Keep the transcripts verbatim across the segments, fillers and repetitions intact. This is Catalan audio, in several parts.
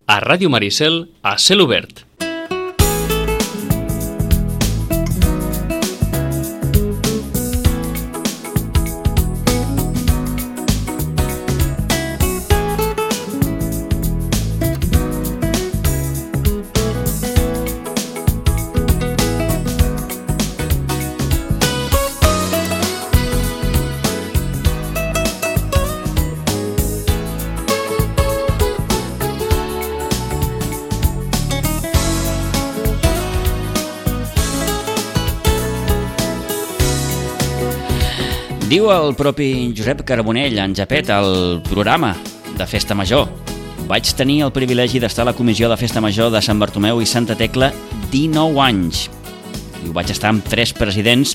a Ràdio Maricel, a Cel Obert. Diu el propi Josep Carbonell en Japet al programa de Festa Major: vaig tenir el privilegi d'estar a la comissió de Festa Major de Sant Bartomeu i Santa Tecla dinou anys. I ho vaig estar amb tres presidents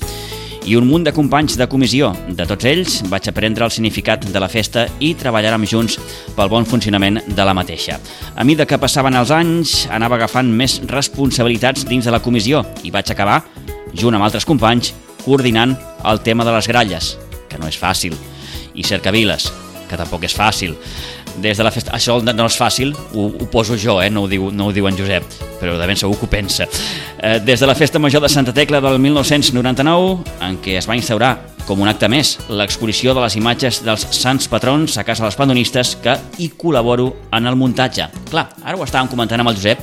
i un munt de companys de comissió. De tots ells vaig aprendre el significat de la festa i treballarem junts pel bon funcionament de la mateixa. A mesura que passaven els anys, anava agafant més responsabilitats dins de la comissió i vaig acabar, junt amb altres companys, coordinant el tema de les gralles, que no és fàcil, i cercaviles, que tampoc és fàcil. Des de la festa... Això no és fàcil, ho, ho poso jo, eh? no, ho diu, no ho diu en Josep, però de ben segur que ho pensa. Eh, des de la Festa Major de Santa Tecla del mil nou-cents noranta-nou, en què es va instaurar, com un acte més, l'exposició de les imatges dels sants patrons a casa dels pandonistes, que hi col·laboro en el muntatge. Clar, ara ho estàvem comentant amb el Josep,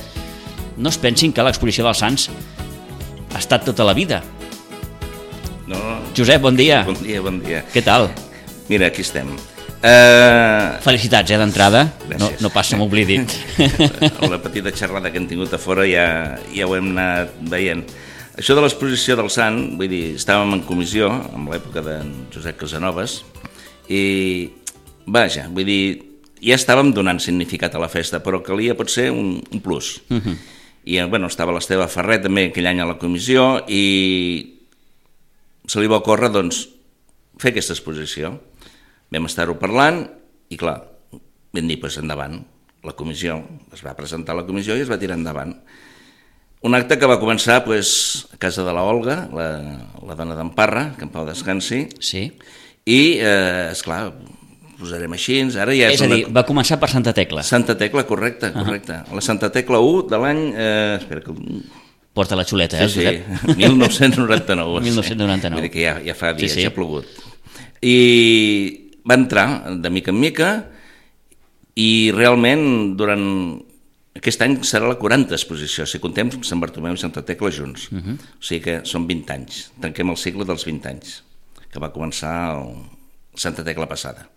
no es pensin que l'exposició dels sants ha estat tota la vida. No. Josep, bon dia. Bon dia, bon dia. Què tal? Mira, aquí estem. Uh... Felicitats, eh, d'entrada. No, no passa, m'oblidi. La petita xerrada que hem tingut a fora ja, ja ho hem anat veient. Això de l'exposició del sant, vull dir, estàvem en comissió, en l'època d'en Josep Casanovas, i, vaja, vull dir, ja estàvem donant significat a la festa, però calia potser un, un plus. Uh-huh. I, bueno, estava l'Esteve Ferrer també aquell any a la comissió, i se li va ocórrer, doncs, fer aquesta exposició. Vam estar-ho parlant i, clar, vam dir, doncs, endavant. La comissió, es va presentar a la comissió i es va tirar endavant. Un acte que va començar, doncs, a casa de la Olga, la, la dona d'en Parra, que en pau descansi. Sí. I, eh, esclar, posarem així, ara ja és, és a una... dir, va començar per Santa Tecla. Santa Tecla, correcte, correcte. Uh-huh. La Santa Tecla u de l'any... Eh, espera que... Porta la xuleta, eh? Sí, sí, mil nou-cents noranta-nou. mil nou-cents noranta-nou. Vull dir que ja, ja fa dies, sí, sí. ja ha plogut. I va entrar de mica en mica i realment durant... Aquest any serà la quaranta exposició, si contem Sant Bartomeu i Santa Tecla junts. Uh-huh. O sigui que són vint anys. Tanquem el cicle dels vint anys, que va començar el Santa Tecla passada.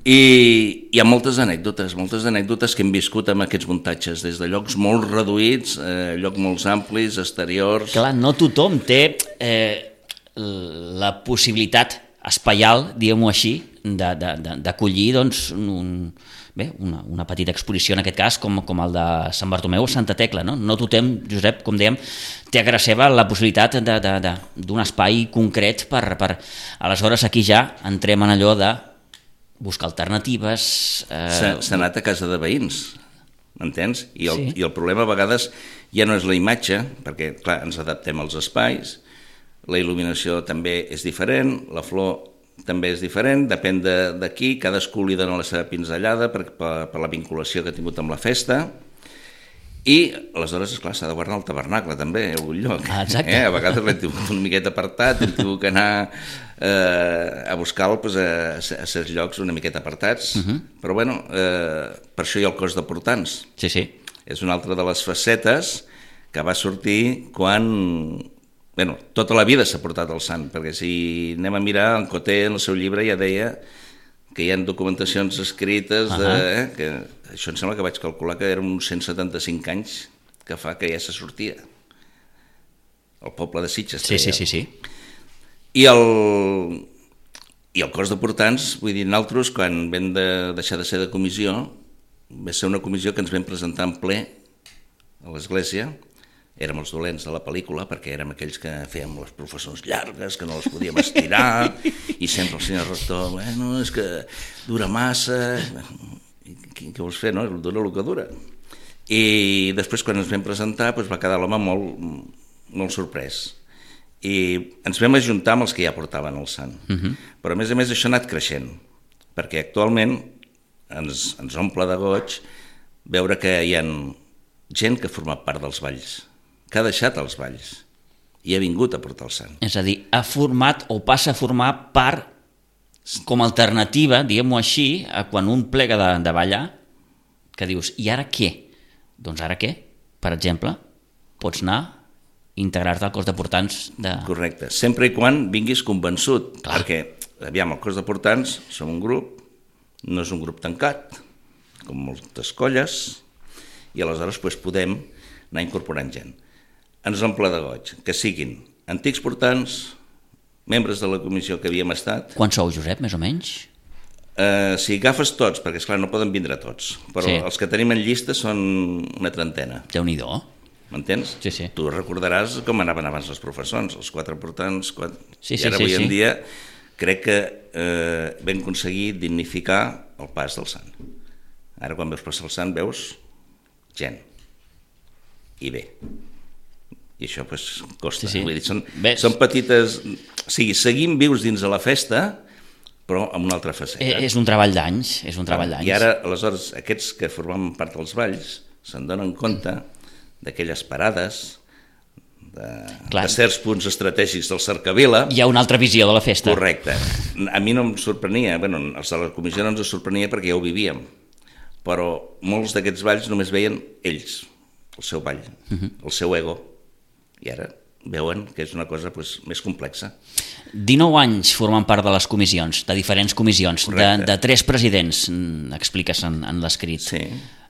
I hi ha moltes anècdotes, moltes anècdotes que hem viscut amb aquests muntatges, des de llocs molt reduïts, eh, llocs molt amplis, exteriors... Clar, no tothom té eh, la possibilitat espaial, diguem-ho així, d'acollir doncs, un, bé, una, una petita exposició, en aquest cas, com, com el de Sant Bartomeu o Santa Tecla. No, no tothom, Josep, com dèiem, té a casa seva la possibilitat d'un espai concret per, per... Aleshores, aquí ja entrem en allò de buscar alternatives... Eh... S'ha anat a casa de veïns, m'entens? I, el, sí. I el problema a vegades ja no és la imatge, perquè, clar, ens adaptem als espais, la il·luminació també és diferent, la flor també és diferent, depèn d'aquí, cadascú li dona la seva pinzellada per, per, per la vinculació que ha tingut amb la festa, i aleshores, esclar, s'ha de guardar el tabernacle també, a algun lloc. Ah, exacte. Eh? A vegades l'hem tingut una miqueta apartat, hem tingut que anar eh, a buscar-lo pues, a, a certs llocs una miqueta apartats, uh-huh. Però bueno, eh, per això hi ha el cos de portants. Sí, sí. És una altra de les facetes que va sortir quan... Bueno, tota la vida s'ha portat el sant, perquè si anem a mirar, en Coté, en el seu llibre, ja deia que hi ha documentacions escrites, de, uh-huh. eh, que això em sembla que vaig calcular que eren uns cent setanta-cinc anys que fa que ja se sortia. El poble de Sitges. Sí, sí, sí, sí. I el, I el cos de portants, vull dir, nosaltres, quan vam de deixar de ser de comissió, va ser una comissió que ens vam presentar en ple a l'església. Érem els dolents de la pel·lícula perquè érem aquells que fèiem les professors llargues, que no les podíem estirar, i sempre el senyor rector, bueno, és que dura massa, què, què vols fer, no? Dura el que dura. I després, quan ens vam presentar, doncs va quedar l'home molt, molt sorprès. I ens vam ajuntar amb els que ja portaven el sant. Uh-huh. Però, a més a més, això ha anat creixent, perquè actualment ens, ens omple de goig veure que hi ha gent que ha format part dels balls, que ha deixat els balls i ha vingut a portar el sant. És a dir, ha format o passa a formar part com a alternativa, diguem-ho així, a quan un plega de, de ballar, que dius, i ara què? Doncs ara què? Per exemple, pots anar a integrar-te al cos de portants de... Correcte, sempre i quan vinguis convençut, Clar. perquè, aviam, el cos de portants som un grup, no és un grup tancat, com moltes colles, i aleshores doncs, podem anar incorporant gent. Ens omple de goig, que siguin antics portants, membres de la comissió que havíem estat... Quants sou, Josep, més o menys? Eh, si agafes tots, perquè esclar no poden vindre tots, però Sí. els que tenim en llista són una trentena, Déu-n'hi-do. m'entens? Sí, sí. Tu recordaràs com anaven abans els professors, els quatre portants, quatre... Sí, i sí, ara sí, avui sí. en dia crec que eh, vam aconseguir dignificar el pas del sant. Ara quan veus passar el sant veus gent, i bé. I això pues, costa. Sí, sí. Vull dir, són, Ves. són petites... O sigui, seguim vius dins de la festa, però amb una altra faceta. Eh, és un treball d'anys, és un treball d'anys. I ara, aleshores, aquests que formaven part dels balls se'n donen compte d'aquelles parades, de, Clar. de certs punts estratègics del Cercavila. Hi ha una altra visió de la festa. Correcte. A mi no em sorprenia, bueno, els de la comissió no ens sorprenia perquè ja ho vivíem, però molts d'aquests balls només veien ells, el seu ball, uh-huh. el seu ego, i ara veuen que és una cosa pues, més complexa. dinou anys formant part de les comissions, de diferents comissions, de, Correcte. de tres presidents, mm, expliques en, en l'escrit. Sí.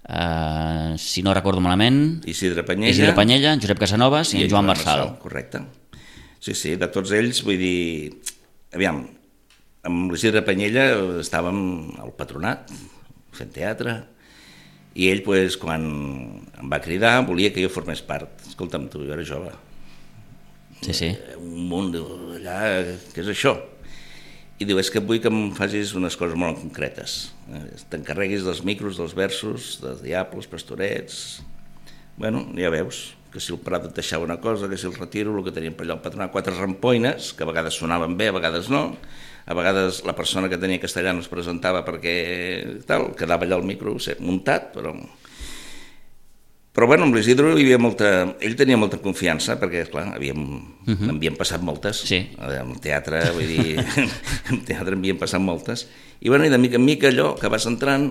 Uh, si no recordo malament, Isidre Panyella, Isidre Panyella, Josep Casanovas i, i en Joan Marçal. Correcte. Sí, sí, de tots ells, vull dir... Aviam, amb l'Isidre Panyella estàvem al patronat, fent teatre, i ell, pues, quan em va cridar, volia que jo formés part. Escolta'm, tu, jo era jove. Sí, sí. Un món allà, què és això? I diu, és que vull que em facis unes coses molt concretes. T'encarreguis dels micros, dels versos, dels diables, pastorets... Bueno, ja veus, que si el Prado et deixava una cosa, que si el retiro, el que teníem per allò al patronat, quatre rampoines, que a vegades sonaven bé, a vegades no, a vegades la persona que tenia castellà no es presentava perquè tal, quedava allà al micro muntat, però... Però bueno, amb l'Isidro hi havia molta... Ell tenia molta confiança, perquè, esclar, havíem, uh-huh. havíem passat moltes. Sí. Al teatre, vull dir, al teatre havíem passat moltes. I bueno, i de mica en mica allò que vas entrant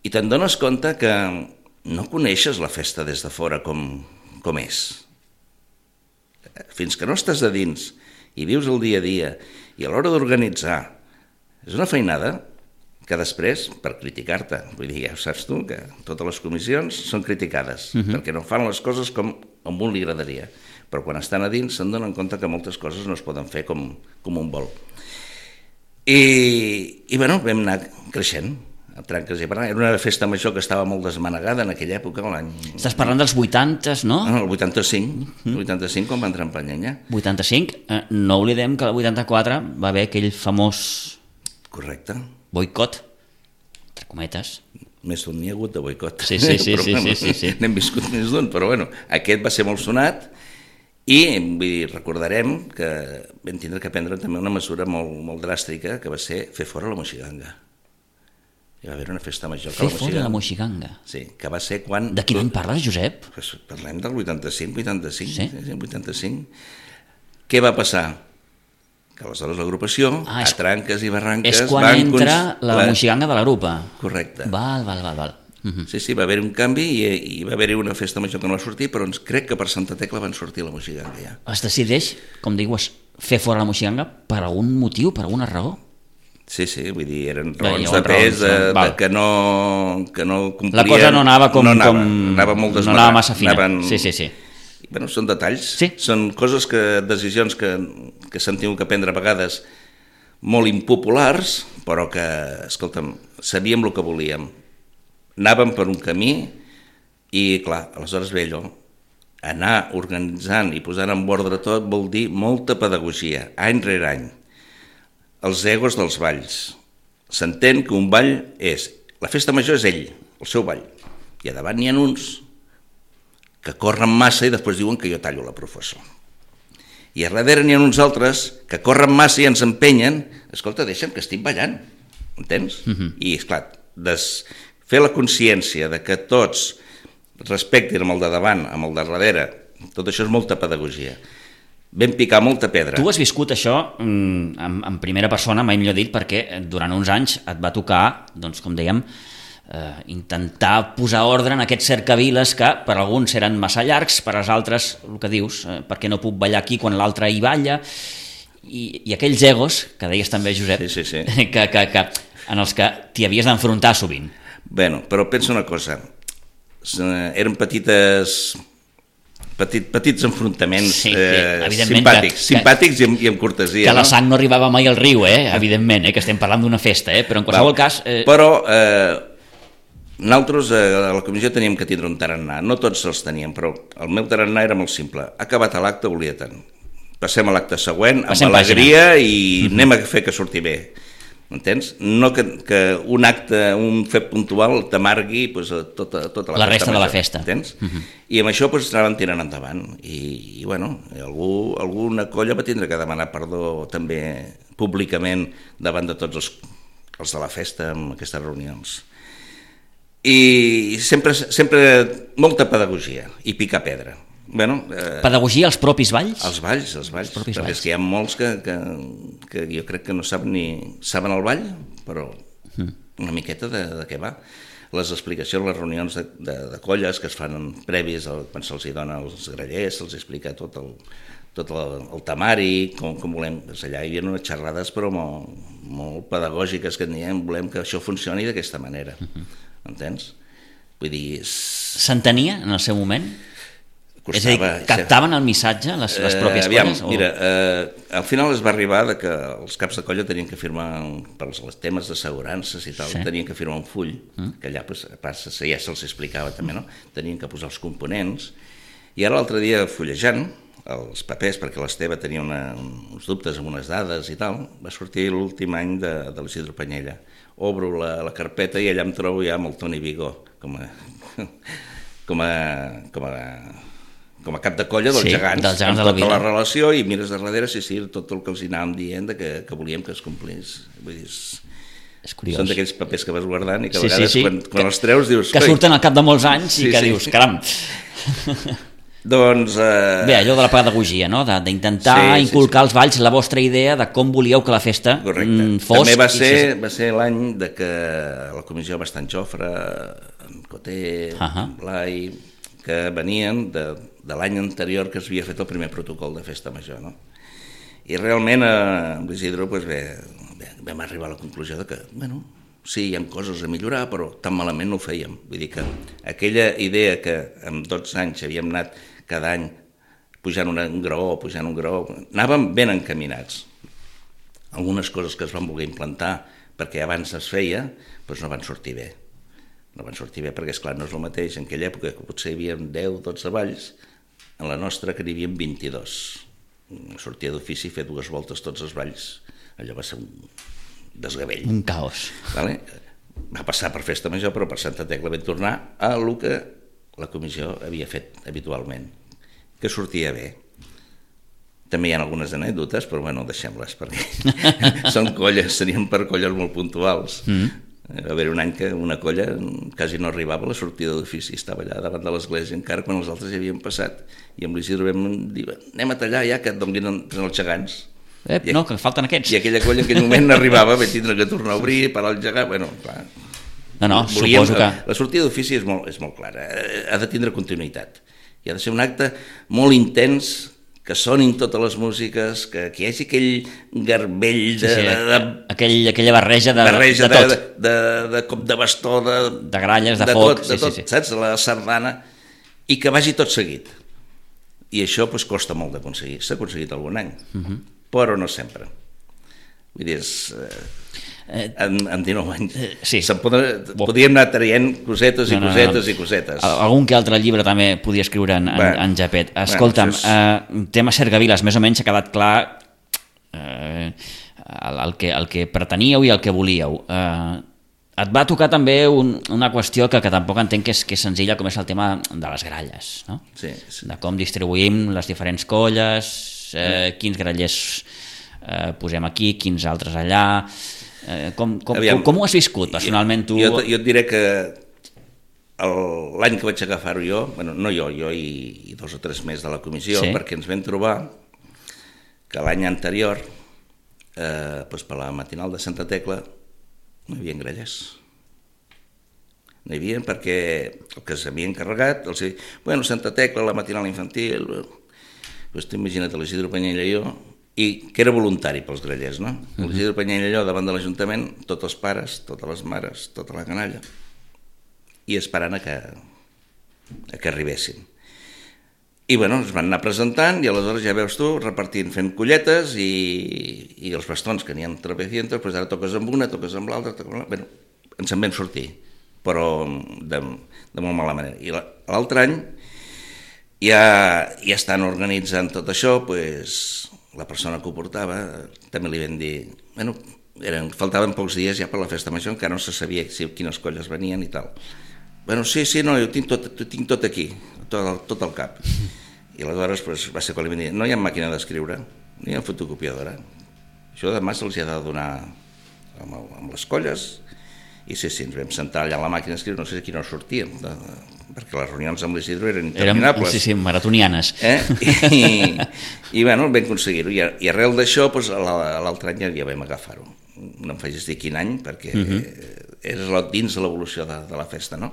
i te'n dones compte que no coneixes la festa des de fora com, com és. Fins que no estàs de dins i vius el dia a dia i a l'hora d'organitzar, és una feinada que després, per criticar-te, vull dir, ja ho saps tu, que totes les comissions són criticades, uh-huh. perquè no fan les coses com a un li agradaria, però quan estan a dins se'n donen compte que moltes coses no es poden fer com, com un vol. I, i bueno, vam anar creixent, a tranques i barrancs. Era una festa major que estava molt desmanegada en aquella època, l'any... Estàs parlant dels vuitantes, no? Ah, el vuitanta-cinc, el vuitanta-cinc quan va entrar en Panyella. vuitanta-cinc, eh, no oblidem que el vuitanta-quatre va haver aquell famós... Correcte. Boicot, entre cometes. Més d'un n'hi ha hagut de boicot. Sí, sí, sí, però, sí, bueno, sí, sí, sí. N'hem viscut més d'un, però bueno, aquest va ser molt sonat i vull dir, recordarem que vam tindre que prendre també una mesura molt, molt dràstica, que va ser fer fora la moixiganga. Hi va haver una festa major. Fer fora la moixiganga. Sí, que va ser quan... De quin any parles, Josep? Pues parlem del vuitanta-cinc, vuitanta-cinc. Sí? Sí, vuitanta-cinc. Què va passar? Que aleshores l'agrupació, Ah, a és- tranques i barranques... És quan van entra cons- la moixiganga de la grupa. Correcte. Val, val, val, val. Uh-huh. Sí, sí, va haver un canvi i, i va haver una festa major que no va sortir, però ens crec que per Santa Tecla van sortir la moixiganga ja. Es decideix, com dius, fer fora la moixiganga per algun motiu, per alguna raó? Sí, sí, vull dir, eren Bé, raons hi ha de raons, pes, de, no? de Val. que no, que no complien... La cosa no anava com... No anava, com... anava molt no desmarrat. anava massa fina. Anaven... Sí, sí, sí. Bueno, són detalls, Sí. són coses que, decisions que, que s'han tingut que prendre a vegades molt impopulars, però que, escolta'm, sabíem el que volíem. Anàvem per un camí i, clar, aleshores ve allò, anar organitzant i posant en ordre tot vol dir molta pedagogia, any rere any. Els egos dels balls. S'entén que un ball és... La festa major és ell, el seu ball. I a davant n'hi ha uns que corren massa i després diuen que jo tallo la professor. I a darrere n'hi ha uns altres que corren massa i ens empenyen. Escolta, deixa'm que estic ballant, entens? Uh-huh. I, esclar, des... fer la consciència de que tots respectin amb el de davant, amb el de darrere, tot això és molta pedagogia. Vam picar molta pedra. Tu has viscut això en, en primera persona, mai millor dit, perquè durant uns anys et va tocar, doncs, com dèiem, eh, intentar posar ordre en aquests cercaviles que per alguns eren massa llargs, per als altres, el que dius, eh, perquè no puc ballar aquí quan l'altre hi balla, i, i aquells egos, que deies també, Josep, sí, sí, sí. Que, que, que, en els que t'hi havies d'enfrontar sovint. Bueno, però pensa una cosa, eren petites... Petit, petits enfrontaments sí, eh, simpàtics, que, simpàtics i amb, i amb cortesia. Que no? La sang no arribava mai al riu, eh? Evidentment, eh? Que estem parlant d'una festa, eh? Però en qualsevol Val. cas... Eh... Però eh, nosaltres eh, a la comissió teníem que tindre un tarannà, no tots els teníem, però el meu tarannà era molt simple. Acabat l'acte, volia tant. Passem a l'acte següent, Passem amb alegria pàgina. i uh-huh. anem a fer que surti bé. M'entens? No que, que un acte, un fet puntual t'amargui pues, tota, tota la, la festa resta major, de la festa. Entens? Uh-huh. I amb això pues, anaven tirant endavant. I, i bueno, algú, alguna colla va tindre que demanar perdó també públicament davant de tots els, els de la festa en aquestes reunions. I sempre, sempre molta pedagogia i picar pedra. Bueno, eh, pedagogia als propis balls? Els balls, els balls. Els propis perquè balls. és que hi ha molts que, que, que jo crec que no saben ni saben el ball, però una miqueta de, de què va. Les explicacions, les reunions de, de, de colles que es fan previs el, quan se'ls dona els grallers, se'ls explica tot el, tot el, el temari, com, com volem. Pues allà hi havia unes xerrades però molt, molt pedagògiques que diem, volem que això funcioni d'aquesta manera. Uh-huh. Entens? Vull dir... S'entenia en el seu moment? Costava, és a dir, captaven el missatge, les, les pròpies eh, aviam, colles? O... Mira, eh, al final es va arribar de que els caps de colla tenien que firmar, per als temes d'assegurances i tal, sí. tenien que firmar un full, mm. que allà pues, passa, ja se'ls explicava també, no? Tenien que posar els components, i ara l'altre dia fullejant els papers, perquè l'Esteve tenia una, uns dubtes amb unes dades i tal, va sortir l'últim any de, de l'Isidro Panyella. Obro la, la carpeta i allà em trobo ja amb el Toni Vigó, com a... com a, com a com a cap de colla dels sí, gegants, dels gegants amb de la tota vida. la relació, i mires de darrere, sí, sí, tot el que els anàvem dient de que, que volíem que es complís. Vull dir, és, és curiós. Són d'aquells papers que vas guardant i que a sí, vegades sí, sí. quan, quan que, els treus dius... Que surten al cap de molts anys sí, i que sí. dius, caram... Doncs... Eh... Bé, allò de la pedagogia, no? D'intentar sí, sí, inculcar sí. als balls la vostra idea de com volíeu que la festa mm, fos... També va ser, si... va ser l'any de que la comissió va estar en Jofre, en Coté, uh-huh. en Blai, que venien de, de l'any anterior que es havia fet el primer protocol de festa major, no? I realment eh, amb l'Isidro pues, bé, bé, vam arribar a la conclusió de que, bueno, sí, hi ha coses a millorar, però tan malament no ho fèiem. Vull dir que aquella idea que en dotze anys havíem anat cada any pujant una, un graó, pujant un graó, anàvem ben encaminats. Algunes coses que es van voler implantar perquè abans es feia, doncs no van sortir bé. No van sortir bé perquè, esclar, no és el mateix. En aquella època que potser hi havia deu o dotze balls, en la nostra que n'hi havia vint-i-dos. Sortia d'ofici i fer dues voltes tots els balls. Allò va ser un desgavell. Un caos. Vale? Va passar per festa major, però per Santa Tecla vam tornar a el que la comissió havia fet habitualment, que sortia bé. També hi ha algunes anècdotes, però bueno, deixem-les, perquè són colles, serien per colles molt puntuals. Mm. Va haver un any que una colla quasi no arribava a la sortida d'ofici, estava allà davant de l'església encara quan els altres ja havien passat, i amb l'Isidro vam dir, anem a tallar ja que et donin els gegants. Eh, no, que falten aquests. I aquella colla en aquell moment no arribava, vaig tindre que tornar a obrir, parar el gegant, bueno, clar. No, no, Volíem, suposo que... La sortida d'ofici és molt, és molt clara, ha de tindre continuïtat, i ha de ser un acte molt intens, que sonin totes les músiques, que, que hi hagi aquell garbell de... Sí, sí, de, de aquell, aquella barreja de, barreja de tot. De, de, de, de cop de bastó, de, de gralles, de, de foc, tot, sí, de tot, sí, sí. saps? La sardana, i que vagi tot seguit. I això pues, costa molt d'aconseguir. S'ha aconseguit algun any, uh-huh. però no sempre. Vull dir, és... Eh, en, en dinou anys eh, sí. podria, podríem anar traient cosetes i no, no, cosetes no, no. i cosetes. Algun que altre llibre també podia escriure en, bueno, en Japet. Escolta'm, bueno, és... eh, tema Cercaviles, més o menys ha quedat clar eh, el, el, que, el que preteníeu i el que volíeu. Eh, et va tocar també un, una qüestió que, que tampoc entenc que és, que és senzilla, com és el tema de les gralles, no? Sí, sí. De com distribuïm les diferents colles, eh, quins grallers eh, posem aquí, quins altres allà... Eh, com, com, com, com ho has viscut personalment tu? Jo, jo et diré que l'any que vaig agafar-ho jo, bueno, no jo, jo i, i dos o tres més de la comissió, sí. perquè ens vam trobar que l'any anterior, eh, doncs per la matinal de Santa Tecla, no hi havia grallers. No hi havia perquè el que s'havia encarregat, els deia, bueno, Santa Tecla, la matinal infantil, doncs t'imagina't l'Isidro Panyella i jo, i que era voluntari pels grallers, no? Uh-huh. L'Isidro Panyella i jo davant de l'Ajuntament, tots els pares, totes les mares, tota la canalla, i esperant a que, a que arribessin. I bueno, es van anar presentant i aleshores ja veus tu repartint, fent colletes i, i els bastons que n'hi ha trapecientos, doncs ara toques amb una, toques amb l'altra, toques amb l'altra. Bueno, ens en vam sortir, però de, de molt mala manera. I l'altre any ja, ja estan organitzant tot això, doncs la persona que ho portava també li vam dir, bueno, eren, faltaven pocs dies ja per la festa major, encara no se sabia si, quines colles venien i tal. Bueno, sí, sí, no, jo tinc tot, tinc tot aquí, tot, tot al cap. I aleshores pues, va ser quan li vam dir, no hi ha màquina d'escriure, no hi ha fotocopiadora. Això demà se'ls ha de donar amb, amb les colles. I sí, sí, ens vam sentar allà a la màquina d'escriure, no sé si aquí no sortíem, de, perquè les reunions amb l'Isidro eren interminables. Érem, sí, sí, maratonianes. Eh? I, i bueno, vam aconseguir-ho. I, I arrel d'això, pues, l'altre any ja vam agafar-ho. No em facis dir quin any, perquè uh-huh. era dins de l'evolució de, de la festa, no?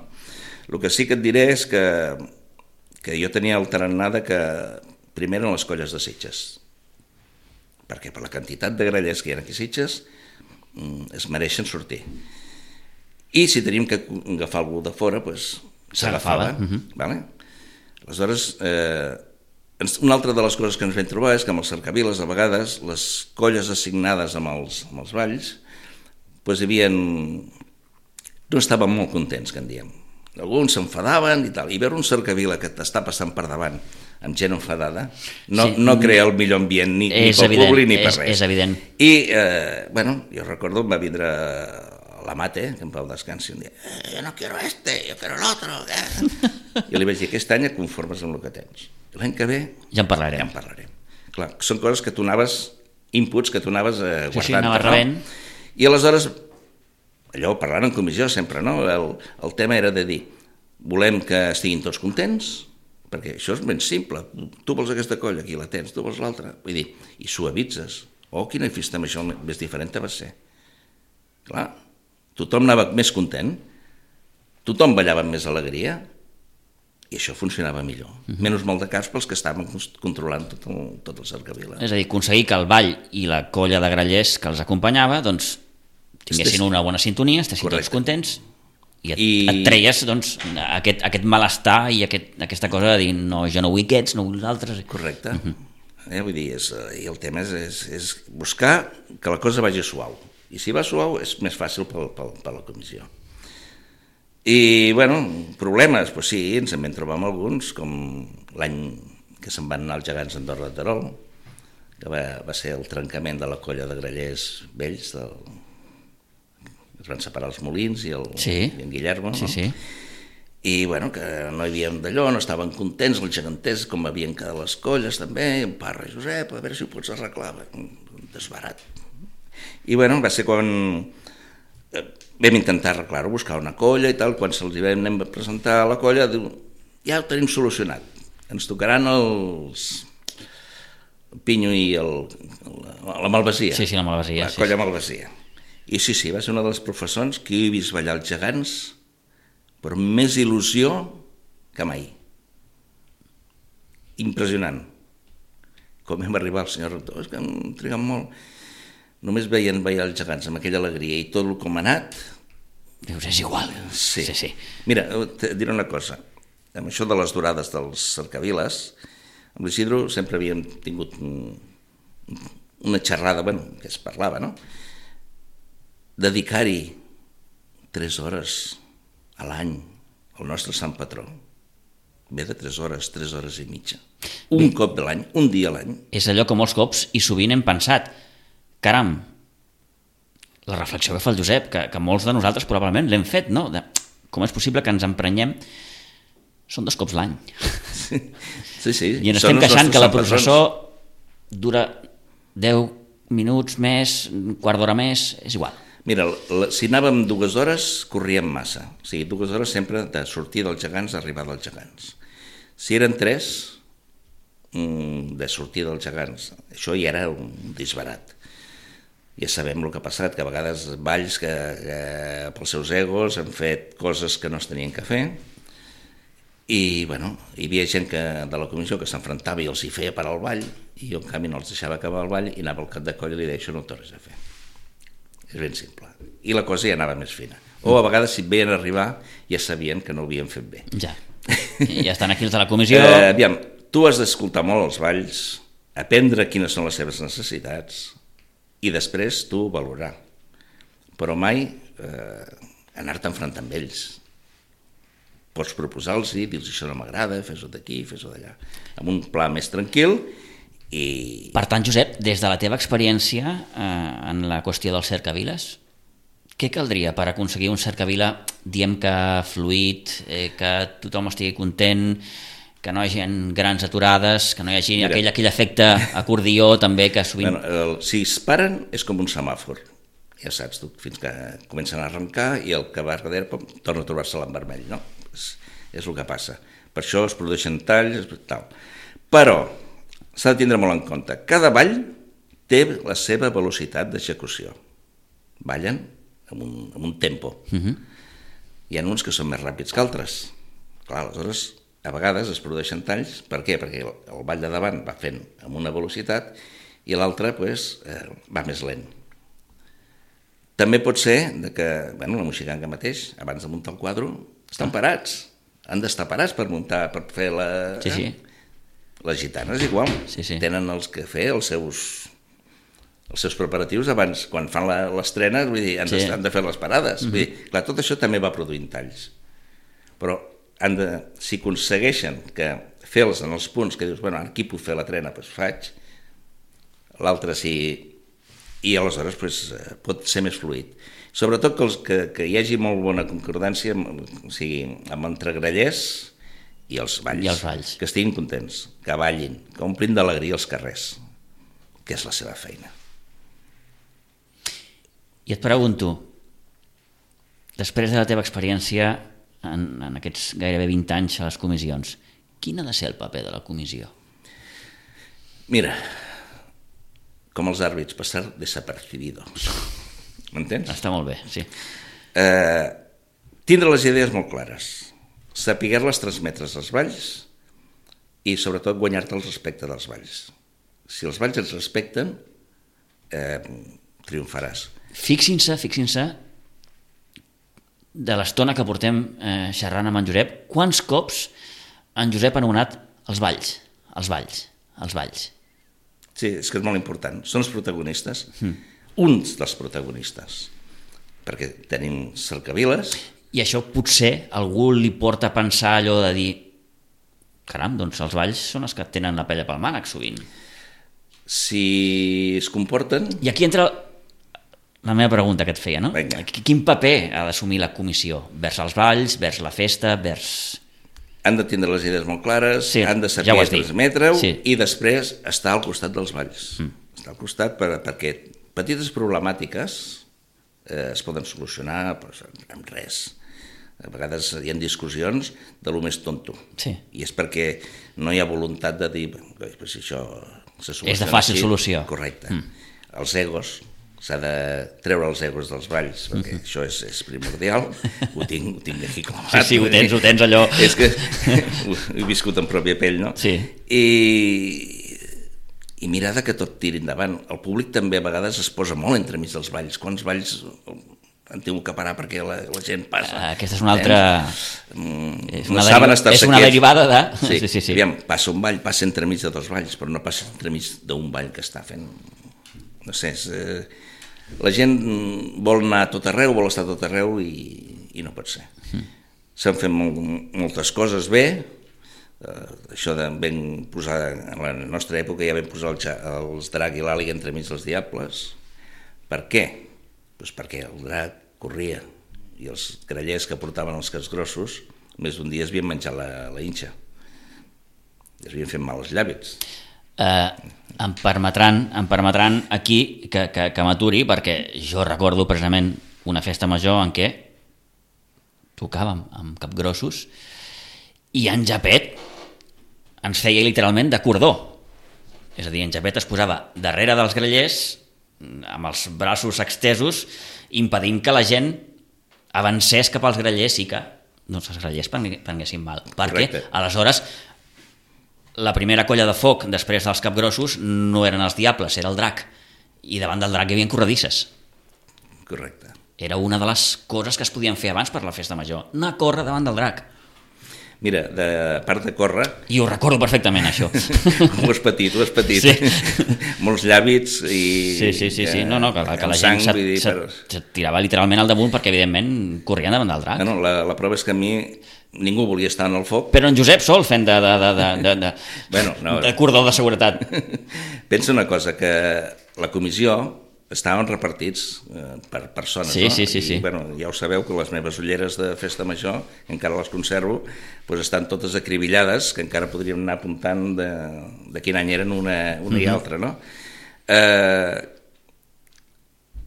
El que sí que et diré és que, que jo tenia el tarannà de que primer eren les colles de Sitges, perquè per la quantitat de grallers que hi ha aquí a Sitges es mereixen sortir. I si teníem que agafar algú de fora, doncs s'agafava. Uh-huh. Vale? Aleshores, eh, una altra de les coses que ens vam trobar és que amb els cercaviles, a vegades, les colles assignades amb els, amb els balls, doncs hi havia... no estaven molt contents, que en diem. Alguns s'enfadaven i tal, i veure un cercavila que t'està passant per davant amb gent enfadada no, sí. no crea el millor ambient ni, ni pel evident, públic ni per és, res. És evident. I, eh, bueno, jo recordo, em va vindre la Mate, que em va descansar, i em deia, eh, jo no quiero este, yo quiero el otro. Eh? I li vaig dir, aquest any et conformes amb el que tens. L'any que ve ja en parlarem. Ja en parlarem. Clar, són coses que tu anaves, inputs que tu anaves eh, guardant. Sí, sí, anava rebent. No? I aleshores, allò parlant en comissió sempre, no? El, el tema era de dir, volem que estiguin tots contents, perquè això és ben simple, tu vols aquesta colla, aquí la tens, tu vols l'altra, vull dir, i suavitzes. Oh, quina festa amb això més diferent va ser. Clar, tothom anava més content, tothom ballava amb més alegria, i això funcionava millor. Uh-huh. Menys molt de cas pels que estaven controlant tot el, tot el cercavila. És a dir, aconseguir que el ball i la colla de grallers que els acompanyava, doncs, tinguessin una bona sintonia, estessin Correcte. Tots contents, i et, I... et treies doncs, aquest, aquest malestar i aquest, aquesta cosa de dir no, jo no vull aquests, no vull els altres. Correcte. Uh-huh. eh, vull dir, és, i el tema és, és, és buscar que la cosa vagi suau. I si va suau és més fàcil per, per, per la comissió. I, bueno, problemes, doncs sí, ens en vam trobar amb alguns, com l'any que se'n van anar els gegants d'Andorra de Terol, que va, va ser el trencament de la colla de grallers vells del... es van separar els Molins i, el, sí. i en Guillermo, no? Sí, sí. I bueno, que no hi havia d'allò, no estaven contents, els geganters, com havien quedat les colles també, i en Parra i Josep, a veure si ho pots arreglar, un desbarat. I bueno, va ser quan eh, vam intentar arreglar-ho, buscar una colla i tal, quan se'ls vam anem a presentar a la colla, diu, ja ho tenim solucionat, ens tocaran els... el Pinyo i el, la Malvasia. Sí, sí, la Malvasia. La sí, colla sí. Malvasia. I sí, sí, va ser una de les professors que he vist ballar els gegants però amb més il·lusió que mai. Impressionant. Com vam arribar al senyor rector, és que hem trigat molt. Només veien ballar els gegants amb aquella alegria i tot el com ha anat... Dius, és igual. Sí. sí, sí. Mira, et diré una cosa. Amb això de les durades dels cercaviles, amb l'Isidro sempre havíem tingut una xerrada, bueno, que es parlava, no? Dedicar-hi tres hores a l'any al nostre sant patró, ve de tres hores, tres hores i mitja. Un, un cop de l'any, un dia a l'any. És allò que molts cops i sovint hem pensat, caram, la reflexió que fa el Josep, que, que molts de nosaltres probablement l'hem fet, no? De, com és possible que ens emprenyem? Són dos cops l'any. Sí, sí. sí. I ens estem queixant que la processó dura deu minuts més, un quart d'hora més, és igual. Mira, la, si anàvem dues hores, corríem massa. O sigui, dues hores sempre de sortir dels gegants a arribar dels gegants. Si eren tres, de sortir dels gegants, això ja era un disbarat. Ja sabem el que ha passat, que a vegades balls que, que pels seus egos han fet coses que no es tenien que fer, i bueno, hi havia gent que, de la comissió que s'enfrontava i els hi feia parar el ball, i jo en canvi no els deixava acabar el ball i anava al cap de coll i li deia, això no ho tornis a fer. És ben simple. I la cosa ja anava més fina. O a vegades si veien arribar ja sabien que no ho havien fet bé. Ja. I ja estan aquí els de la comissió. Eh, aviam, tu has d'escoltar molt els balls, aprendre quines són les seves necessitats i després tu valorar. Però mai eh, anar-te enfrontant amb ells. Pots proposar-los i dir-los això no m'agrada, fes-ho d'aquí, fes-ho d'allà. Amb un pla més tranquil i... Per tant, Josep, des de la teva experiència eh, en la qüestió del cercaviles, què caldria per aconseguir un cercavila, diem que fluid, eh, que tothom estigui content, que no hi hagi grans aturades, que no hi hagi Mira, aquell, aquell efecte acordió també que sovint... Bueno, el, si es paren és com un semàfor, ja saps tu, fins que comencen a arrencar i el que va darrere pom, torna a trobar-se-la en vermell, no? És, és el que passa. Per això es produeixen talls, tal. Però s'ha de tindre molt en compte. Cada ball té la seva velocitat d'execució. Ballen amb un, amb un tempo. Uh-huh. Hi ha uns que són més ràpids que altres. Clar, aleshores, a vegades es produeixen talls. Per què? Perquè el, el ball de davant va fent amb una velocitat i l'altre pues, eh, va més lent. També pot ser que, bueno, la moixiganga mateix, abans de muntar el quadre, estan parats. Han d'estar parats per muntar, per fer la... Sí, sí. Les gitanes igual. Sí, sí. Tenen els que fer els seus, els seus preparatius abans, quan fan l'estrena, vull dir, han, sí. han de fer les parades. Mm-hmm. Vull dir, clar, tot això també va produint talls. Però han de, si aconsegueixen que fer-los en els punts que dius, bueno, aquí puc fer la trena, doncs faig. L'altre sí... I aleshores pues, pot ser més fluid. Sobretot que, els, que, que hi hagi molt bona concordància amb, o sigui, amb entre grallers i els balls, I els balls, que estiguin contents, que ballin, que omplin d'alegria els carrers, que és la seva feina. I et pregunto, després de la teva experiència en, en aquests gairebé vint anys a les comissions, quin ha de ser el paper de la comissió? Mira, com els àrbits, passar desapercibido. M'entens? Està molt bé, sí. Eh, tindre les idees molt clares, saber-les transmetre als balls i sobretot guanyar-te el respecte dels balls. Si els balls ens respecten, eh, triomfaràs. Fixin-se, fixin-se, de l'estona que portem eh, xerrant amb en Josep, quants cops en Josep ha anomenat els balls, els balls, els balls. Sí, és que és molt important. Són els protagonistes, mm. uns dels protagonistes, perquè tenim cercaviles. I això potser algú li porta a pensar allò de dir caram, doncs els balls són els que tenen la pella pel mànec sovint. Si es comporten... I aquí entra la meva pregunta que et feia, no? Vinga. Quin paper ha d'assumir la comissió? Vers els balls, vers la festa, vers... Han de tindre les idees molt clares, sí, han de saber ja transmetre-ho sí. I després estar al costat dels balls. Mm. Estar al costat per, perquè petites problemàtiques eh, es poden solucionar pues, amb res. A vegades hi ha discussions de lo més tonto. Sí. I és perquè no hi ha voluntat de dir pues, això se soluciona. És de fàcil així. Solució. Correcte. Mm. Els egos, s'ha de treure els egos dels balls, perquè mm-hmm. això és, és primordial, ho tinc, ho tinc aquí clavat. Sí, sí, ho tens, ho tens allò. És que he viscut en pròpia pell, no? Sí. I, i mirada que tot tiri endavant. El públic també a vegades es posa molt entremig dels balls. Quants balls han tingut que parar perquè la, la gent passa? Aquesta és una altra... Mm, és una, no deriva... és una derivada de... Sí, sí, sí, sí. Aviam, passa un ball, passa entremig de dos balls, però no passa entremig d'un ball que està fent... No sé, és... Eh... La gent vol anar a tot arreu, vol estar a tot arreu i, i no pot ser. Mm. S'han fet molt, moltes coses bé, uh, això de ben posar, en la nostra època ja vam posar el, els drac i l'àliga entremig dels diables. Per què? Pues perquè el drac corria i els grallers que portaven els cascs grossos més d'un dia es havien menjat la, la inxa. Es havien fet mal els llàbits. Eh, em permetran, em permetran aquí que, que, que m'aturi, perquè jo recordo precisament una festa major en què tocàvem amb capgrossos i en Japet ens feia literalment de cordó. És a dir, en Japet es posava darrere dels grallers amb els braços extesos, impedint que la gent avancés cap als grallers i que doncs, els grallers prenguessin mal. Perquè, Correcte. aleshores, la primera colla de foc després dels capgrossos no eren els diables, era el drac. I davant del drac hi havia corredisses. Correcte. Era una de les coses que es podien fer abans per la festa major, anar a córrer davant del drac. Mira, de part de córrer... I ho recordo perfectament, això. Ho has patit, ho has patit. Sí. Molts llàbits i... Sí, sí, sí, sí. No, no, que, que la sang, gent se't, vull dir, se't, per... se't tirava literalment al damunt perquè, evidentment, corrien davant del drac. No, no, la, la prova és que a mi ningú volia estar en el foc. Però en Josep sol fent de, de, de, de, de, bueno, no. de cordó de seguretat. Pensa una cosa, que la comissió estaven repartits eh, per persones, sí, no? Sí, sí, sí. I, bueno, ja ho sabeu que les meves ulleres de festa major, encara les conservo, doncs estan totes acribillades, que encara podríem anar apuntant de, de quin any eren una, una mm-hmm. i altra, no? Eh,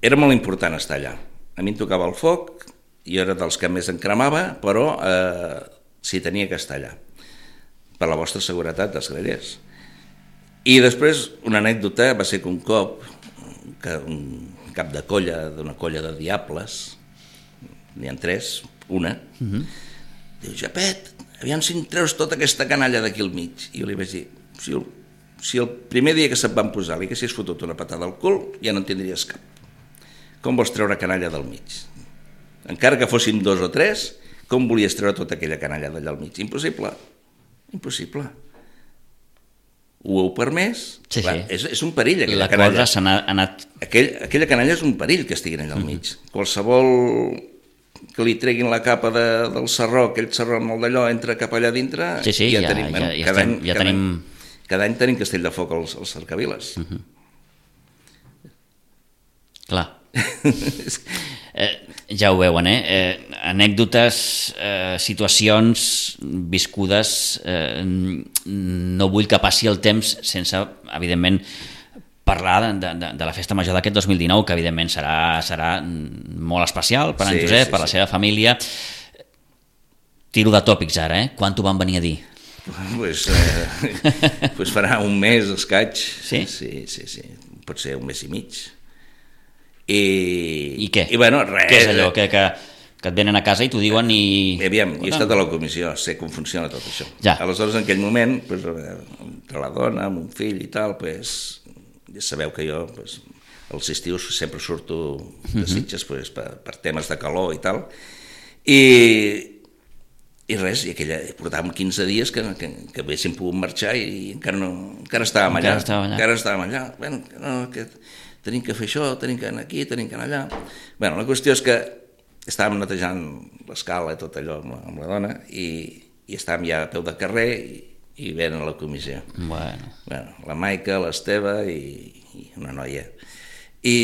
era molt important estar allà. A mi em tocava el foc, jo era dels que més em cremava, però eh, sí, tenia que estar allà, per la vostra seguretat dels grallers. I després, una anècdota va ser que un cop que un cap de colla, d'una colla de diables, n'hi ha tres, una, uh-huh. diu, Japet, aviam si em treus tota aquesta canalla d'aquí al mig. I jo li vaig dir, si el, si el primer dia que se't van posar li haguessis fotut una patada al cul, ja no en tindries cap. Com vols treure canalla del mig? Encara que fóssim dos o tres, com volies treure tota aquella canalla d'allà al mig? Impossible, impossible. Ho heu permès? Sí, clar, sí. És, és un perill, aquella la canalla. La cosa s'ha anat... Aquell, aquella canalla és un perill que estiguin allà al mig. Mm-hmm. Qualsevol que li treguin la capa de, del sarró, aquell sarró amb el d'allò, entra cap allà dintre... Sí, sí, ja, ja, tenim, ja, bueno, ja, cada estem, any, ja cada tenim... Any, cada any tenim castell de foc als, als cercaviles. Mm-hmm. Clar. eh, ja ho veuen, eh? eh anècdotes, eh, situacions viscudes, eh, no vull que passi el temps sense, evidentment, parlar de, de, de la festa major d'aquest dos mil dinou, que evidentment serà, serà molt especial per en sí, Josep, sí, per la sí. seva família. Tiro de tòpics ara, eh? Quan t'ho van venir a dir? Pues, eh, pues farà un mes escaig. Sí? Sí, sí, sí. Pot ser un mes i mig. I, I què? I bueno, res. Què és allò? Que, que, que et venen a casa i t'ho diuen i... Aviam, jo he estat a la comissió, sé com funciona tot això. Ja. Aleshores, en aquell moment, pues, entre la dona, amb un fill i tal, pues, ja sabeu que jo pues, els estius sempre surto de Sitges pues, per, per temes de calor i tal, i, i res, i aquella, portàvem quinze dies que, que, que haguéssim pogut marxar i encara, no, encara estàvem allà. Encara estàvem allà. Encara estàvem allà. Bueno, no, que tenim que fer això, tenim que anar aquí, tenim que anar allà. Bueno, la qüestió és que estàvem netejant l'escala i tot allò amb la, amb la dona i, i estàvem ja a peu de carrer i, i venen a la comissió. Bueno. Bueno, la Maica, l'Esteve i, i una noia. I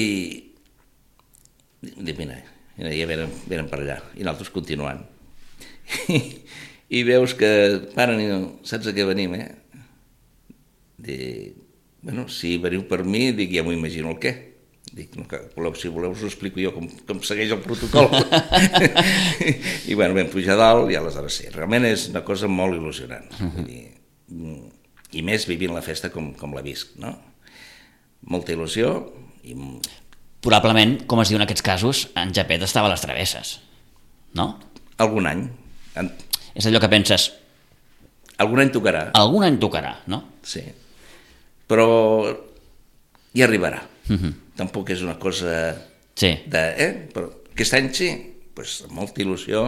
dic, mira, ja venen, venen per allà i nosaltres continuant. I, i veus que paren i no, saps a què venim, eh? Dic, bueno, si veniu per mi, dic, ja m'ho imagino el què. Dic, no, que voleu, si voleu us ho explico jo com, com segueix el protocol. I bueno, vam pujar a dalt i aleshores sí, realment és una cosa molt il·lusionant. Uh-huh. Vull dir, i més vivint la festa com, com la visc, no? Molta il·lusió i... Probablement, com es diu en aquests casos, en Japet estava a les travesses, no? Algun any. En... És allò que penses... Algun any tocarà. Algun any tocarà, no? Sí. Però hi arribarà. Uh-huh. Tampoc és una cosa sí. de... Eh? Però aquest any sí, pues, amb molta il·lusió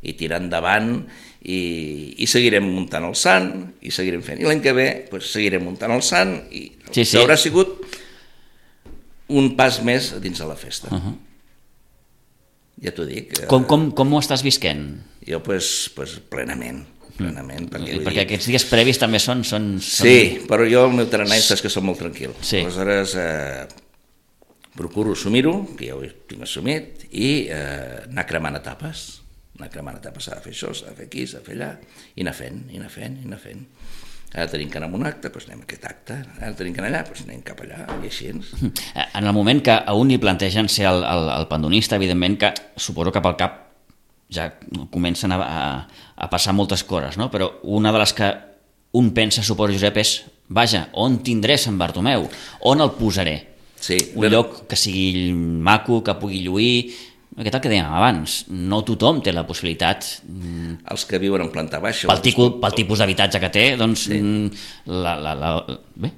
i tirar endavant i, i seguirem muntant el sant i seguirem fent. I l'any que ve pues, seguirem muntant el sant i sí, sí. haurà sigut un pas més dins de la festa. Uh-huh. Ja t'ho dic. Com, com, com ho estàs visquent? Jo pues, pues, plenament. plenament perquè, perquè aquests dies previs també són... són, són... Sí, però jo el meu tarannà és que som molt tranquil. Sí. Aleshores eh, procuro assumir-ho, que ja ho tinc assumit, i eh, anar cremant etapes. Anar cremant etapes, s'ha de fer això, s'ha de fer aquí, s'ha de fer allà, i anar fent, i anar fent, i anar fent. Ara tenim que anar a un acte, doncs anem a aquest acte. Ara tenim que anar allà, doncs anem cap allà, i així. En el moment que a un li plantegen ser el, el, el pandonista, evidentment que suposo que pel cap ja comencen a, a, a passar moltes coses, no? Però una de les que un pensa, suposo, Josep, és, vaja, on tindré Sant Bartomeu? On el posaré? Sí, un però... lloc que sigui maco, que pugui lluir... Aquest el que dèiem abans, no tothom té la possibilitat... Els que viuen en planta baixa... Pel, tico, pel tipus d'habitatge que té, doncs sí. la, la, la, bé,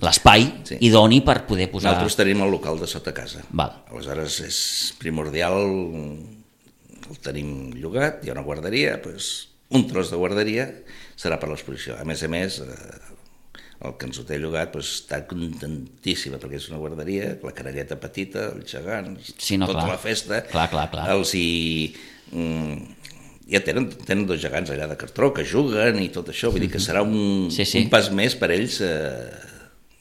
l'espai sí. idoni per poder posar... Nosaltres tenim el local de sota casa. Val. Aleshores és primordial, el tenim llogat, hi ha una guarderia, doncs un tros de guarderia serà per l'exposició. A més a més... el que ens ho té llogat doncs, està contentíssima perquè és una guarderia, la caralleta petita, els gegants, sí, no, tota clar. la festa, clar, clar, clar. els hi... Mm, ja tenen, tenen dos gegants allà de cartró que juguen i tot això, vull dir que serà un, sí, sí. un pas més per ells eh,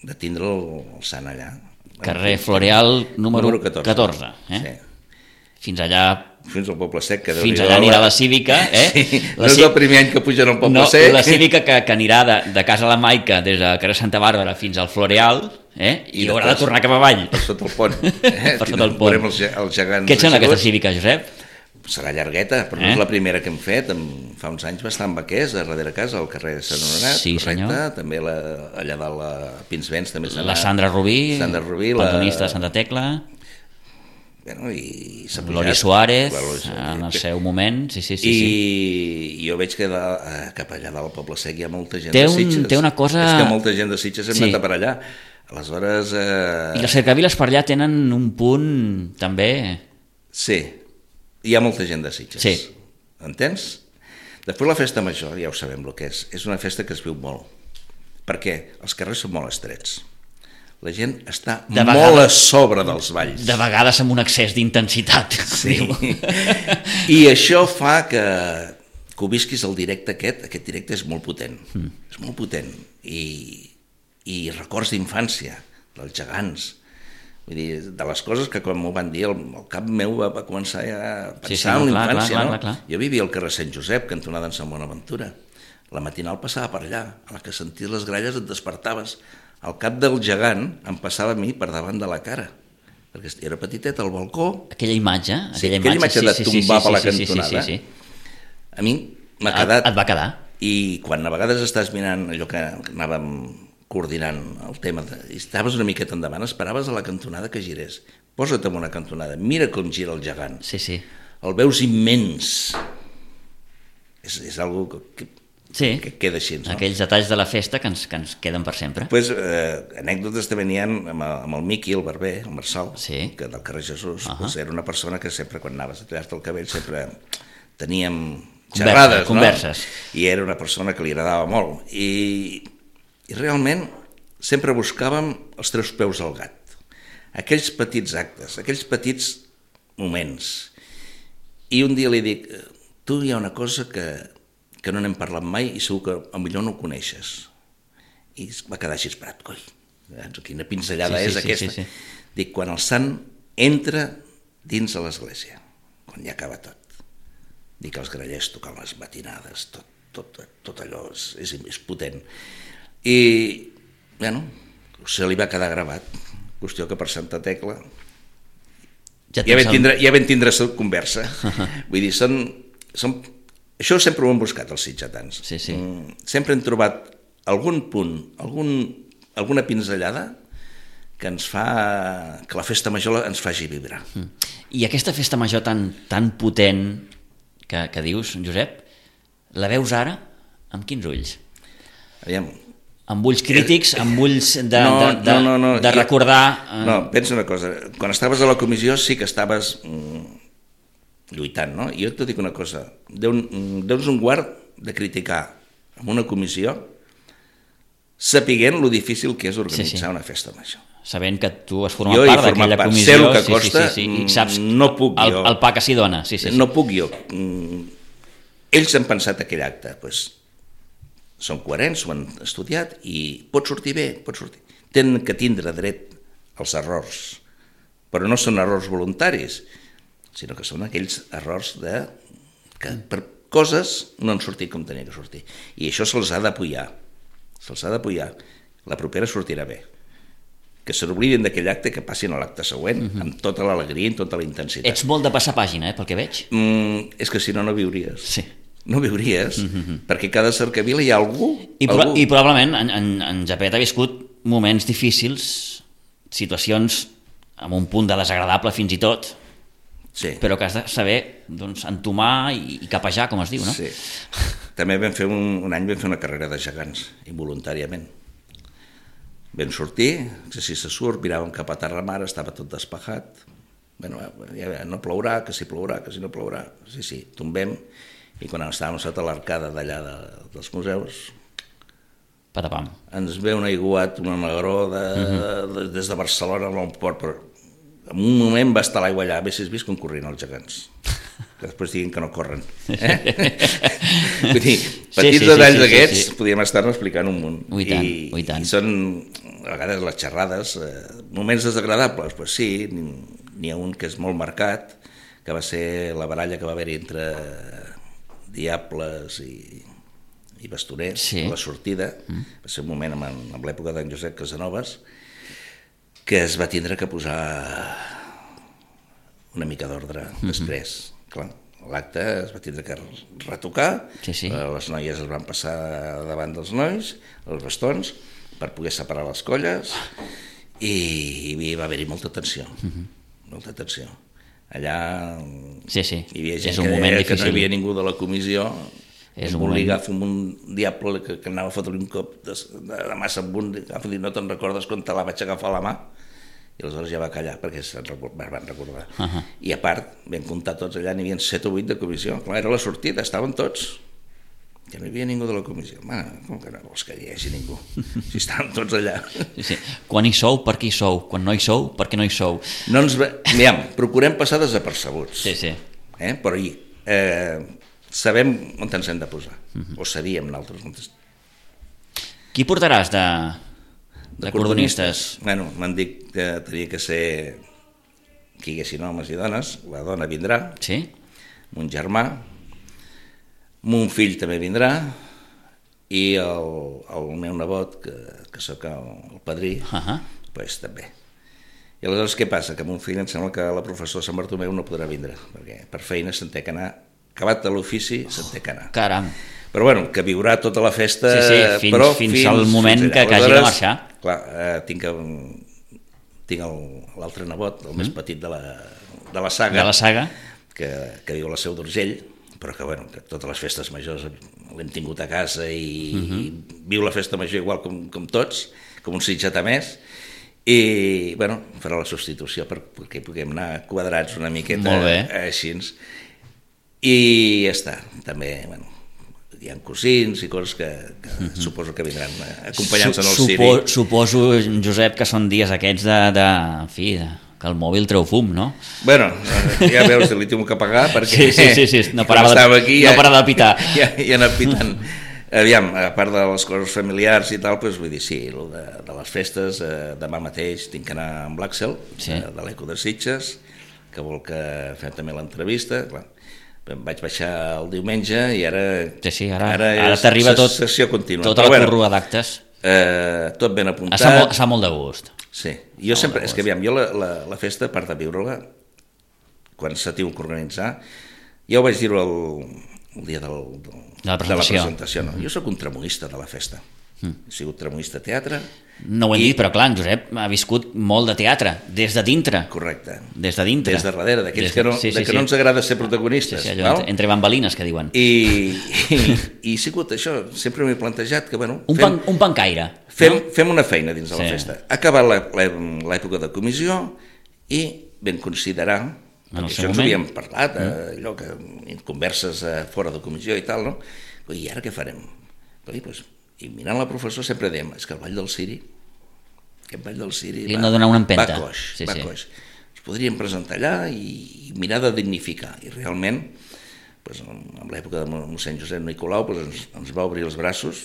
de tindre el, el sant allà. Carrer Floreal número, número catorze. catorze eh? Sí. Fins allà... Fins al Poble Sec. Que fins allà anirà la Cívica. Eh? Sí, la no és el primer any que pugen al Poble no, Sec. La Cívica que, que anirà de, de Casa la Maica des de carrer Santa Bàrbara fins al Floreal eh? i, I haurà de tornar cap avall. Per sota el pont. Eh? Per sota el pont. Veurem els, els gegants. Què et sembla aquesta Cívica, Josep? Serà llargueta, però eh? no és la primera que hem fet. Fa uns anys va estar en Baquers, a darrere casa, al carrer Sant Honorat, sí, correcte. Senyor. També la, allà dalt la Pinsbens també serà. La Sandra Rubí, Sandra Rubí pandonista la... de Santa Tecla. Bueno, i s'ha pujat. Lori Suárez, en el seu moment, sí, sí, sí. I sí. jo veig que de, cap allà dalt al Poble Sec hi ha molta gent té de un, Sitges. Té una cosa... És que molta gent de Sitges hem sí. anat per allà. Aleshores... Eh... I les cercaviles per allà tenen un punt també... Sí, hi ha molta gent de Sitges. Sí. Entens? Després la festa major, ja ho sabem el que és. És una festa que es viu molt. Per què? Els carrers són molt estrets. La gent està de molt vegades, a sobre dels balls. De vegades amb un excés d'intensitat. Sí. I això fa que, que ho visquis el directe aquest, aquest directe és molt potent, mm. és molt potent. I, i records d'infància, dels gegants. Vull dir, de les coses que quan m'ho van dir, el, el cap meu va, va començar a pensar sí, sí, no, en la infància. Clar, clar, no? clar, clar. Jo vivia al carrer Sant Josep, cantonada en Sant Bonaventura. La matinal passava per allà, a la que senties les gralles et despertaves. El cap del gegant em passava a mi per davant de la cara, perquè era petitet al balcó. Aquella imatge, sí, aquella, aquella imatge, imatge sí, de tombar sí, sí, per la sí, cantonada, sí, sí, sí. a mi m'ha quedat. Et va quedar. I quan a vegades estàs mirant allò que anàvem coordinant el tema, de, i estaves una miqueta endavant, esperaves a la cantonada que girés. Posa't en una cantonada, mira com gira el gegant. Sí, sí. El veus immens. És, és algo que... Sí, que queda així, no? Aquells detalls de la festa que ens, que ens queden per sempre. Pues, eh, anècdotes també n'hi ha amb, amb el Miqui, el barber, el Marçal, sí. que del carrer Jesús, uh -huh. pues, era una persona que sempre quan anaves a tallar-te el cabell sempre teníem xerrades, converses. No? I era una persona que li agradava molt. I, i realment sempre buscàvem els tres peus al gat. Aquells petits actes, aquells petits moments. I un dia li dic, tu hi ha una cosa que... que no n'hem parlat mai i segur que potser no ho coneixes. I va quedar així esperat, coi, quina pinzellada sí, sí, és sí, aquesta. Sí, sí. Dic, quan el sant entra dins de l'església, quan ja acaba tot, dic, els grallers tocant les matinades, tot, tot, tot allò és, és, és potent. I, bueno, se li va quedar gravat, qüestió que per Santa Tecla ja, ja, vam, tindre, ja vam tindre conversa. Vull dir, són... són això sempre ho hem buscat, els sitgetans. Sí, sí. Sempre hem trobat algun punt, algun, alguna pinzellada que ens fa que la festa major ens faci vibrar. I aquesta festa major tan, tan potent que, que dius, Josep, la veus ara amb quins ulls? Aviam. Amb ulls crítics, amb ulls de, no, de, de, no, no, no. de recordar... Eh... No, pensa una cosa, quan estaves a la comissió sí que estaves... Mm, lluitant, no? I jo et dic una cosa, Déu-nos un guard de criticar en una comissió sapiguent lo difícil que és organitzar sí, sí. una festa major. Sabent que tu has format part d'aquella comissió, sé el que costa, sí, sí, sí, sí. I saps no puc el, jo, el pa que s'hi dona. Sí, sí, sí. No puc jo. Ells han pensat aquell acte, doncs, són coherents, ho han estudiat i pot sortir bé, pot sortir. Tenen que tindre dret als errors, però no són errors voluntaris, sinó que són aquells errors de... que per coses no han sortit com tenia que sortir. I això se'ls ha d'apoyar. se'ls ha de pujar, la propera sortirà bé. Que se n'oblidin d'aquell acte, que passin a l'acte següent, uh-huh. amb tota l'alegria i tota la intensitat. Ets molt de passar pàgina, eh, pel que veig. Mm, és que si no, no viuries. Sí. No viuries, uh-huh. perquè cada cercavila hi ha algú... I, pro algú. i probablement en, en, en Japet ha viscut moments difícils, situacions amb un punt de desagradable fins i tot, sí. però que has de saber doncs, entomar i, i capejar, com es diu, no? Sí. També vam fer un, un any vam fer una carrera de gegants, involuntàriament. Vam sortir, que si se surt, miràvem cap a Terramar, estava tot despejat. Bueno, ja no plourà, que si plourà, que si no plourà. Sí, sí, tombem, i quan estàvem sota l'arcada d'allà de, dels museus, Patapam. ens ve un aiguat, una negró de, uh-huh. de, des de Barcelona a l'Omport, però en un moment va estar l'aigua allà, haguessis vist com corrien els gegants, que després diguin que no corren. Eh? Vull dir, petits sí, sí, detalls sí, sí, d'aquests sí, sí. podríem estar-ne explicant un munt. Ui tant, I, ui tant. I són, a vegades, les xerrades, eh, moments desagradables, pues sí, n'hi ha un que és molt marcat, que va ser la baralla que va haver-hi entre diables i, i bastoners, sí. la sortida, mm. va ser un moment amb, amb l'època d'en Josep Casanovas, que es va tindre que posar una mica d'ordre mm-hmm. després. Clar, l'acte es va tindre que retocar, sí, sí. les noies es van passar davant dels nois, els bastons, per poder separar les colles, i, i va haver-hi molta tensió, mm-hmm. molta tensió. Allà sí, sí. hi havia gent és un que moment deia difícil. que no hi havia ningú de la comissió, és un volia agafar un diable que, que anava a fotre un cop de, de, de massa amunt, agafa dir, no te'n recordes quan te la vaig agafar a la mà? I aleshores ja va callar perquè se'n van recordar. Uh-huh. I a part, vam comptar tots allà, n'hi havia set o vuit de comissió. Clar, era la sortida, estaven tots. Ja no hi havia ningú de la comissió. Ma, com que no vols que hi hagi ningú? Si estaven tots allà. Sí, sí. Quan hi sou, per què hi sou? Quan no hi sou, per què no hi sou? No ens ve... Miram, procurem passar desapercebuts. Sí, sí. Eh? Però hi, eh, sabem on ens hem de posar. Uh-huh. O sabíem nosaltres. Qui portaràs de... de cordonistes? Bueno, m'han dit que tenia que ser que hi haguessin homes i dones, la dona vindrà, sí? mon germà, mon fill també vindrà, i el, el meu nebot, que, que sóc el, el padrí, uh-huh. pues, també. I aleshores què passa? Que mon fill em sembla que la professora Sant Bartomeu no podrà vindre, perquè per feina se'n té que anar, acabat de l'ofici se'n té que anar. Caram. Però bueno, que viurà tota la festa, sí, sí, fins, però fins, fins al moment fins que, que hagi de marxar. Clar, eh, tinc, tinc l'altre nebot, el mm. més petit de la, de la saga, de la saga. Que, que viu a la Seu d'Urgell, però que, bueno, que totes les festes majors l'hem tingut a casa i, mm-hmm. i viu la festa major igual com, com tots, com un sitjata més, i bueno, farà la substitució per, perquè puguem anar quadrats una miqueta així. I ja està, també, bueno, hi ha cosins i coses que, que uh-huh. suposo que vindran acompanyant-se en el Supo, ciri. Suposo, Josep, que són dies aquests de, de, en fi, de, que el mòbil treu fum, no? Bueno, ja veus, li tinc que pagar perquè sí, sí, sí, sí. No parava de, aquí, no ja, parava de pitar. Ja, ja anat pitant. Aviam, a part de les coses familiars i tal, doncs, vull dir, sí, de, de les festes, eh, demà mateix tinc que anar amb l'Àxel, sí. de, de l'Eco de Sitges, que vol que fem també l'entrevista, clar. Em vaig baixar el diumenge i ara, sí, sí, ara, ara, ara t'arriba tot, sessió contínua. Tota la corrua d'actes. Eh, tot ben apuntat. Està molt, està molt de gust. Sí, jo està sempre, és que aviam, jo la, la, la festa, a part de viure-la, quan s'ha tingut que organitzar, ja ho vaig dir el, el dia del, del, de la presentació. De la presentació no? Jo sóc un tramoista de la festa. Mm. He sigut tramoista de teatre. No ho hem i... dit, però clar, en Josep ha viscut molt de teatre, des de dintre. Correcte. Des de dintre. Des de darrere, d'aquells que, no, sí, sí, de que sí. no ens agrada ser protagonistes. Sí, sí, allò, entre bambalines, que diuen. I, i, i ha sigut això, sempre m'he plantejat que, bueno... Un, fem, pan, un pancaire. Fem, no? fem una feina dins de sí. la festa. Ha acabat l'època de comissió i vam considerar, en això ens havíem parlat, mm. allò que converses fora de comissió i tal, no? I ara què farem? I doncs... I mirant la professora sempre dèiem, és que el Ball del Ciri, aquest Ball del Ciri va, no donar una empenta. va coix, sí, va sí. coix. Ens podríem presentar allà i, i mirar de dignificar. I realment, doncs, en l'època de mossèn Josep Nicolau, doncs, ens, ens va obrir els braços.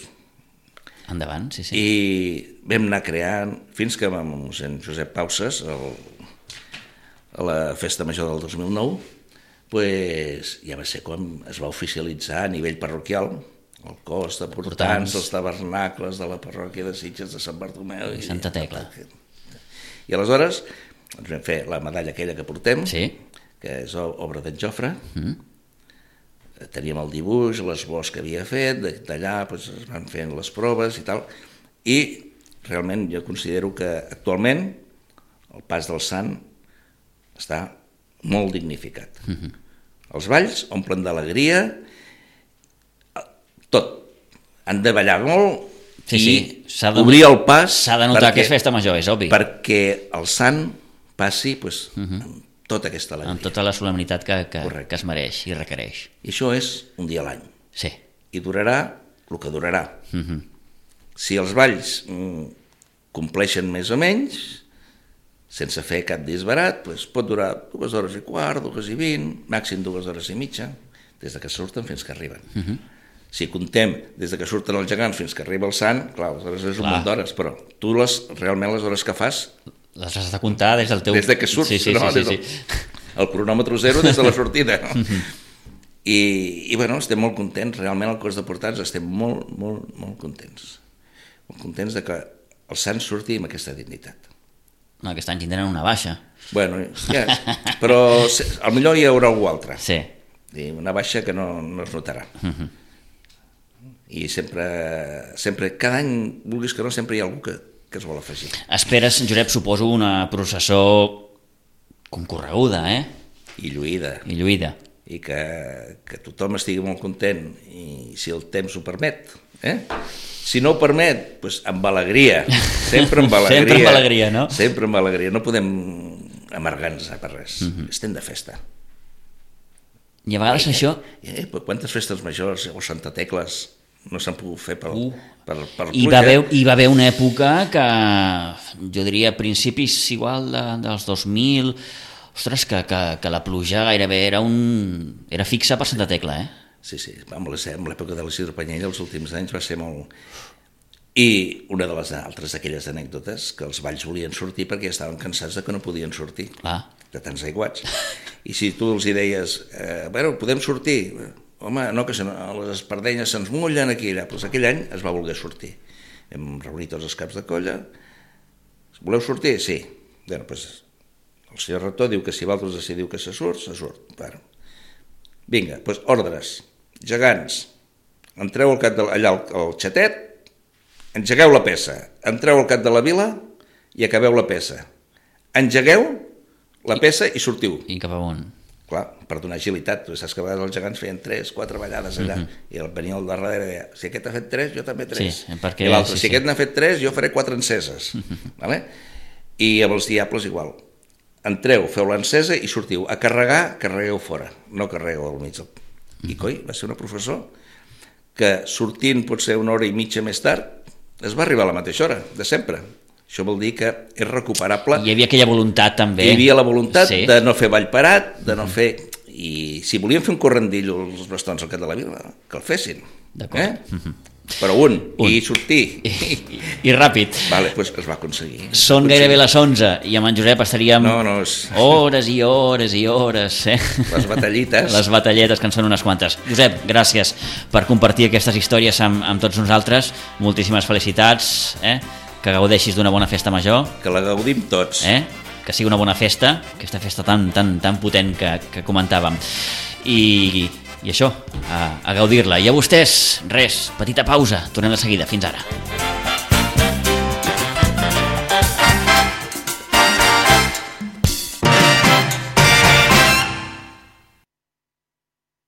Endavant, sí, sí. I vam anar creant, fins que amb mossèn Josep Pauses, el, a la festa major del dos mil nou, pues, ja va ser quan es va oficialitzar a nivell parroquial el cos de portants, els tabernacles de la parròquia de Sitges, de Sant Bartomeu i Santa Tecla. I aleshores ens vam fer la medalla aquella que portem, sí. que és obra d'en Jofre. Mm. Teníem el dibuix, l'esbós que havia fet, d'allà doncs, es van fent les proves i tal, i realment jo considero que actualment el pas del sant està molt dignificat. Mm-hmm. Els balls omplen d'alegria, tot. Han de ballar molt sí, i sí. De, obrir el pas... S'ha de notar perquè, que és festa major, és obvi. Perquè el sant passi pues, mm-hmm. amb tota aquesta alegria. Amb tota la solemnitat que, que, que es mereix i requereix. I això és un dia a l'any. Sí. I durarà el que durarà. Mm-hmm. Si els balls mm, compleixen més o menys, sense fer cap disbarat, doncs pot durar dues hores i quart, dues i vint, màxim dues hores i mitja, des de que surten fins que arriben. Uh-huh. Si contem des de que surten els gegants fins que arriba el sant, clar, aleshores és un munt d'hores, però tu les, realment les hores que fas... Les has de comptar des del teu... Des de que surts, sí, sí, no? Sí, sí, des del, sí. El cronòmetre zero des de la sortida. Uh-huh. I, I, bueno, estem molt contents, realment el cos de portats estem molt, molt, molt contents. Molt contents de que el sant surti amb aquesta dignitat. No, aquest any tindran una baixa. Bueno, ja, però potser hi haurà algú altre. Sí. Una baixa que no, no es notarà. Uh-huh. I sempre, sempre, cada any, vulguis que no, sempre hi ha algú que, que es vol afegir. Esperes, Josep, suposo, una processó concorreguda, eh? I lluïda. I lluïda. I que, que tothom estigui molt content, i si el temps ho permet, eh? Si no ho permet, doncs amb alegria, sempre amb alegria. Sempre amb alegria, no? Sempre amb alegria, no podem amargar-nos per res, uh-huh. Estem de festa. I a vegades I, això... Eh, quantes festes majors o Santa Tecles no s'han pogut fer per, uh. per, per I, va haver, I va haver una època que, jo diria, a principis igual de, dels dos mil, ostres, que, que, que la pluja gairebé era, un, era fixa per Santa Tecla, eh? Sí, sí, amb l'època de l'Isidre Panyella els últims anys va ser molt... I una de les altres d'aquelles anècdotes, que els balls volien sortir perquè estaven cansats de que no podien sortir, ah. de tants aiguats. I si tu els hi deies, eh, bueno, podem sortir, home, no, que se, les espardenyes se'ns mullen aquí, allà. Pues aquell any es va voler sortir. Hem reunit tots els caps de colla. Voleu sortir? Sí. Bueno, pues, el senyor rector diu que si vosaltres decidiu que se surt, se surt. Bueno. Vinga, doncs ordres. Gegants, entreu al cap de, allà al, al xatet, engegueu la peça, entreu al cap de la vila i acabeu la peça. Engegueu la peça i sortiu. I cap amunt. Clar, per donar agilitat. Tu saps que a vegades els gegants feien tres, quatre ballades allà, uh-huh. I el venia al darrere i deia, si aquest ha fet tres, jo també tres. Sí, perquè... I l'altre, sí, si sí. aquest n'ha fet tres, jo faré quatre enceses. Uh-huh. Vale? I amb els diables igual. Entreu, feu l'encesa i sortiu. A carregar, carregueu fora, no carregueu al mig del... I coi, va ser una professor que sortint potser una hora i mitja més tard es va arribar a la mateixa hora, de sempre. Això vol dir que és recuperable. Hi havia aquella voluntat també. Hi havia la voluntat sí. de no fer ball parat, de no fer... I si volien fer un correndillo els bastons al cap de la vila, que el fessin. D'acord. Eh? Uh-huh. Però un, un. i sortir. I, i, i ràpid. Vale, doncs es va aconseguir. Són gairebé les onze i amb en Josep estaríem no, no, és... hores i hores i hores. Eh? Les batallites. Les batalletes, que en són unes quantes. Josep, gràcies per compartir aquestes històries amb, amb tots nosaltres. Moltíssimes felicitats. Eh? Que gaudeixis d'una bona festa major. Que la gaudim tots. Eh? Que sigui una bona festa, aquesta festa tan, tan, tan potent que, que comentàvem. I... I això, a, a gaudir-la. I a vostès, res, petita pausa, tornem de seguida. Fins ara.